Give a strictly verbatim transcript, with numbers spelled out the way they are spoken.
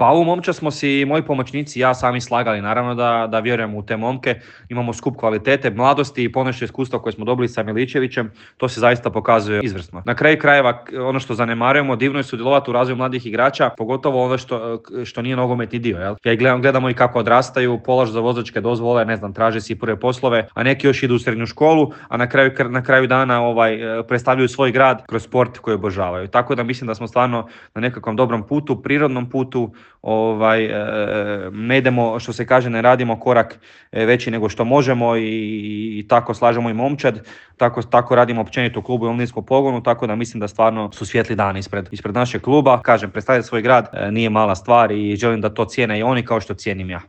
Pa ovu momčad smo si moji pomoćnici i ja sami slagali, naravno da, da vjerujemo u te momke, imamo skup kvalitete, mladosti i ponešto iskustva koje smo dobili sa Miličevićem, to se zaista pokazuje izvrsno. Na kraju krajeva, ono što zanemarujemo, divno je sudjelovati u razvoju mladih igrača, pogotovo ono što, što nije nogometni dio. Jel? Ja gledam, gledamo i kako odrastaju, polažu za vozačke dozvole, ne znam, traže si prve poslove, a neki još idu u srednju školu, a na kraju, na kraju dana ovaj, predstavljaju svoj grad kroz sport koji obožavaju. Tako da mislim da smo stvarno na nekakvom dobrom putu, prirodnom putu, ovaj, ne idemo, što se kaže, ne radimo korak veći nego što možemo i, i tako slažemo i momčad, tako, tako radimo općenito u klubu i omladinskom pogonu, tako da mislim da stvarno su svijetli dani ispred, ispred našeg kluba. Kažem, predstavljati svoj grad nije mala stvar i želim da to cijene i oni kao što cijenim ja.